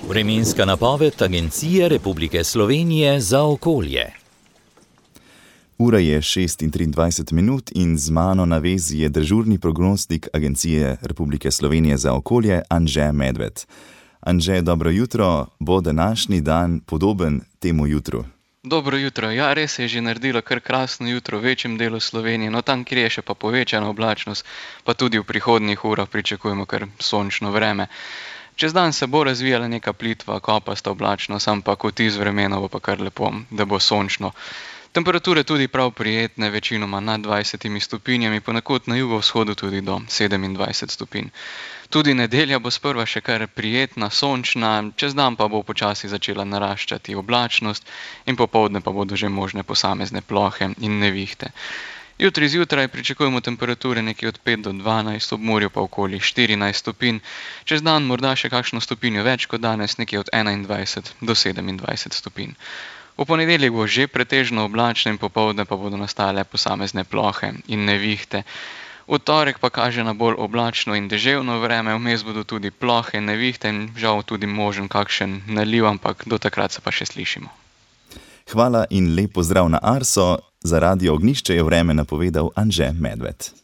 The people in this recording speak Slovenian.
Vremenska napoved Agencije Republike Slovenije za okolje. Ura je 6:23 in z mano na vezi je dežurni prognostik Agencije Republike Slovenije za okolje Anže Medved. Anže, dobro jutro, bo današnji dan podoben temu jutru? Dobro jutro. Ja, res je že naredilo kar krasno jutro v večjem delu Slovenije, no tam, kjer je še pa povečana oblačnost, pa tudi v prihodnjih urah pričakujemo kar sončno vreme. Čez dan se bo razvijala neka plitva, kopasta oblačnost, ampak vtis vremena bo pa kar lepo, da bo sončno. Temperature tudi prav prijetne, večinoma nad 20 stopinjami, ponekod na jugovzhodu tudi do 27 stopinj. Tudi nedelja bo sprva še kar prijetna, sončna, čez dan pa bo počasi začela naraščati oblačnost in popoldne pa bodo že možne posamezne plohe in nevihte. Jutri zjutraj pričakujemo temperature nekje od 5 do 12, ob morju pa okoli 14 stopinj, čez dan morda še kakšno stopinjo več kot danes, nekje od 21 do 27 stopinj. V ponedeljek bo že pretežno oblačno in popoldne pa bodo nastale posamezne plohe in nevihte. V torek pa kaže na bolj oblačno in deževno vreme, vmes bodo tudi plohe, nevihte in žal tudi možen kakšen naliv, ampak do takrat se pa še slišimo. Hvala in lep pozdrav na Arso. Za Radio Ognjišče je vreme napovedal Anže Medved.